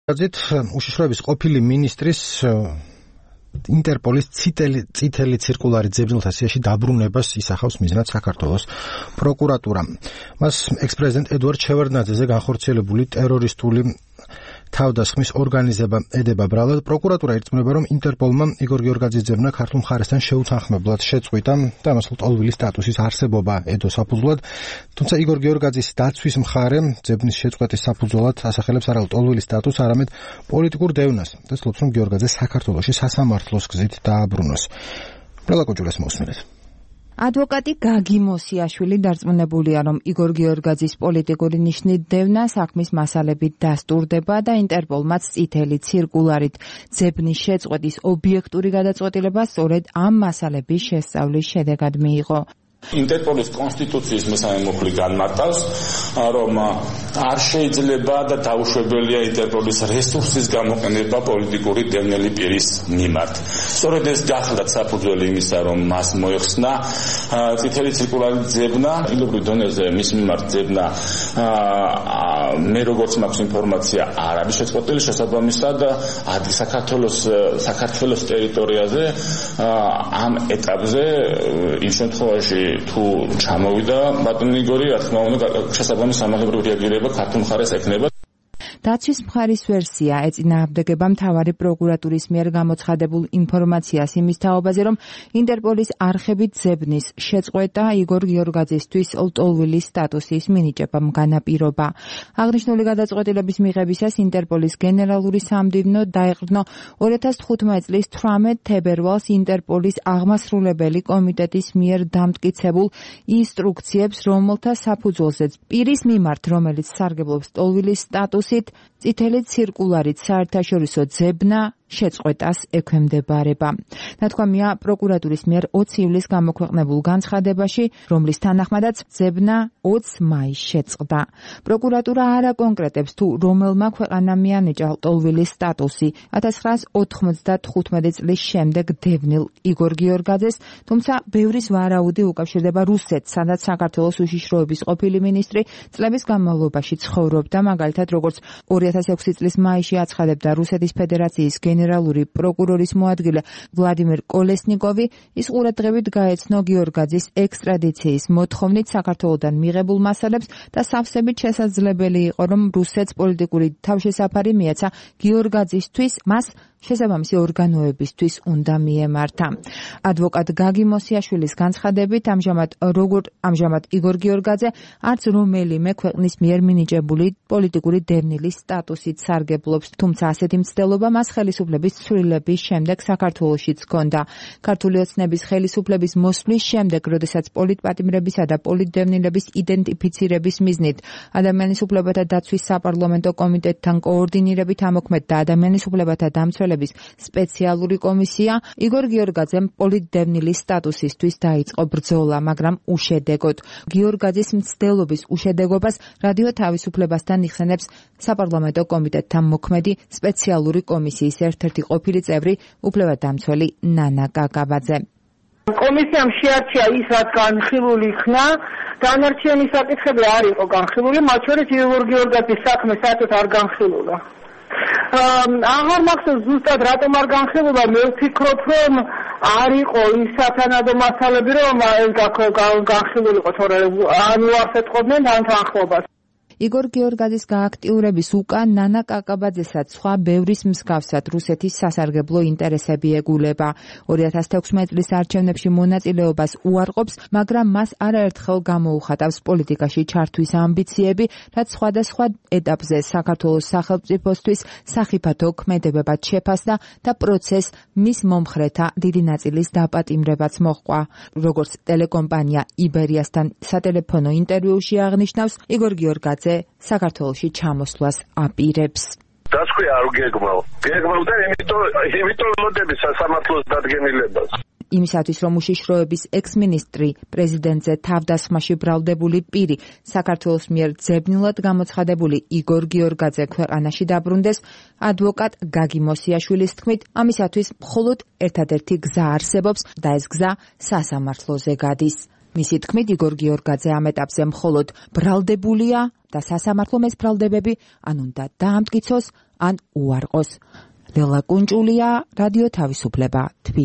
გიორგაძით უშიშროების ყოფილი მინისტრის ინტერპოლის წითელი ცირკულარი ძებნელთა სიაში დაბრუნებას ისახავს მიზნად საქართველოს პროკურატურა. მას ექს-პრეზიდენტ ედუარდ შევარდნაძეზე განხორციელებული ტერორისტული თავდასხმის ორგანიზება ედება ბრალად. პროკურატურა ირწმუნება, რომ ინტერპოლმა იგორ გიორგაძის ძებნა ქართულ მხარესთან შეუთანხმებლად შეწყვიტა და ამასულ ტოლვილის სტატუსის არსებობა ედო საფუძვლად. თუმცა იგორ გიორგაძის დაცვის მხარე ძებნის შეწყვეტის საფუძვლად ასახელებს არა ტოლვილის სტატუსს, არამედ პოლიტიკურ დევნას და ცდილობს, რომ გიორგაძე საქართველოში სასამართლოს გზით დააბრუნოს. ბრალაკოჯულეს მოსმენთ. ადვოკატი გაგი მოსიაშვილი დარწმუნებულია, რომ იგორ გიორგაძის პოლიტიკური ნიშნით დევნა საქმის მასალებით დასტურდება და ინტერპოლმაც წითელი ცირკულარით ძებნის შეწყვეტის ობიექტური გადაწყვეტილება სწორედ ამ მასალების შესწავლის შედეგად მიიღო. ინტერპოლის კონსტიტუციის მესამე მუხლი განმარტავს, რომ არ შეიძლება და დაუშვებელია ინტერპოლის რესურსის გამოყენება პოლიტიკური დევნილი პირის მიმართ. სწორედ ეს გახლდათ საფუძველი იმისა, რომ მას მოეხსნა წითელი ცირკულარის ძებნა, ადგილობრივ დონეზე მის მიმართ ძებნა მე როგორც მაქვს ინფორმაცია არ არის შეწყვეტილი, შესაბამისად საქართველოს ტერიტორიაზე ამ ეტაპზე იმ შემთხვევაში თუ ჩამოვიდა ბატონი იგორი, რა თქმა უნდა, შესაბამის სამართლებრივი რეაგირება ქართულ მხარეს ექნება. დაცვის მხარის ვერსია ეწინააღმდეგება მთავარი პროკურატურის მიერ გამოცხადებულ ინფორმაციას იმის თაობაზე, რომ ინტერპოლის არხებით ძებნის შეწყვეტა იგორ გიორგაძისთვის ლტოლვილის სტატუსის მინიჭებამ განაპირობა. აღნიშნული გადაწყვეტილების მიღებისას ინტერპოლის გენერალური სამდივნო დაეყრდნო 2015 წლის 18 თებერვალს ინტერპოლის აღმასრულებელი კომიტეტის მიერ დამტკიცებულ ინსტრუქციებს, რომელთა საფუძველზეც პირის მიმართ, რომელიც სარგებლობს ლტოლვილის სტატუსით, წითელი ცირკულარით საერთაშორისო ძებნა შეწყვეტას ექვემდებარება. ნათქვამია პროკურატურის მიერ 20 ივლისს გამოქვეყნებულ განცხადებაში, რომლის თანახმადაც ძებნა 20 მაისს შეწყდა. პროკურატურა არ აკონკრეტებს, თუ რომელმა ქვეყანამ მიანიჭა ლტოლვილის სტატუსი 1995 წლის შემდეგ დევნილ იგორ გიორგაძეს, თუმცა ბევრის ვარაუდი უკავშირდება რუსეთს, სადაც საქართველოს უშიშროების ყოფილი მინისტრი წლების განმავლობაში ცხოვრობდა, მაგალითად როგორც 2006 წლის მაისში აცხადებდა რუსეთის ფედერაციის გენერალური პროკურორის მოადგილე ვლადიმერ კოლესნიკოვი, ის ყურადღებით გაეცნო გიორგაძის ექსტრადიციის მოთხოვნით საქართველოდან მიღებულ მასალებს და სავსებით შესაძლებელი იყო, რომ რუსეთს პოლიტიკური თავშესაფარი მიეცა გიორგაძისთვის, მას შესაბამისი ორგანოებისთვის უნდა მიემართა. ადვოკატ გაგი მოსიაშვილის განცხადებით, ამჟამად იგორ გიორგაძე არც რომელიმე ქვეყნის მიერ მინიჭებული პოლიტიკური დევნილის სტატუსით სარგებლობს, თუმცა ასეთი მცდელობა მას ხელისუფლების ცვლილების შემდეგ საქართველოშიც ჰქონდა. ქართული ოცნების ხელისუფლების მოსვლის შემდეგ, როდესაც პოლიტპატიმრებისა და პოლიტდევნილების იდენტიფიცირების მიზნით ადამიანის უფლებათა დაცვის საპარლამენტო კომიტეტთან კოორდინირებით ამოქმედდა ადამიანის უფლებათა დამცველების სპეციალური კომისია, იგორ გიორგაძემ პოლიტდევნილის სტატუსისთვის დაიწყო ბრძოლა, მაგრამ უშედეგოდ. გიორგაძის მცდელობის უშედეგობას რადიო თავისუფლებასთან იხსენებს საპარლამენტო კომიტეტთან მოქმედი სპეციალური კომისიის ერთ-ერთი ყოფილი წევრი, უფლებადამცველი ნანა კაკაბაძე. კომისიამ შეარჩია ის, რაც განხილული იქნა, დანარჩენი საკითხები არ იყო განხილული, მათ შორის იგორ გიორგაძის საქმე საერთოდ არ განხილულა. აღარ მახსოვს ზუსტად რატომ არ განხილულა, მე ვფიქრობ, რომ არ იყო ის სათანადო მასალები, რომ განხილულიყო, თორემ ან უარსეთყობდნენ ან თანხმობას. იგორ გიორგაძის გააქტიურების უკან ნანა კაკაბაძესაც სხვა ბევრის მსგავსად რუსეთის სასარგებლო ინტერესები ეგულება. 2016 წლის არჩევნებში მონაწილეობას უარყოფს, მაგრამ მას არაერთხელ გამოუხატავს პოლიტიკაში ჩართვის ამბიციები, რაც სხვადასხვა ეტაპზე საქართველოს სახელმწიფოსთვის სახიფათო ქმედებებად შეფასდა და პროცესს მის მომხრეთა დიდი ნაწილის დაპატიმრებაც მოჰყვა. როგორც ტელეკომპანია იბერიასთან სატელეფონო ინტერვიუში აღნიშნავს, იგორ გიორგაძე საქართველოში ჩამოსვლას აპირებს. დასკვი არ გეგმავ და იმიტომ მოდები სასამართლოს დადგენილებას. იმისათვის, რომ უშიშროების ექს-მინისტრი პრეზიდენტზე თავდასხმაში ბრალდებული პირი საქართველოს მიერ ძებნილად გამოცხადებული იგორ გიორგაძე ქვეყანაში დაბრუნდეს, ადვოკატ გაგი მოსიაშვილის თქმით, ამისათვის მხოლოდ ერთადერთი გზა არსებობს და ეს გზა სასამართლოზე გადის. მისი თქმით, იგორ გიორგაძე ამ ეტაპზე მხოლოდ ბრალდებულია და სასამართლომ ეს ბრალდებები ან უნდა დაამტკიცოს, ან უარყოს. ლელა კუნჭულია, რადიო თავისუფლება, თბილისი.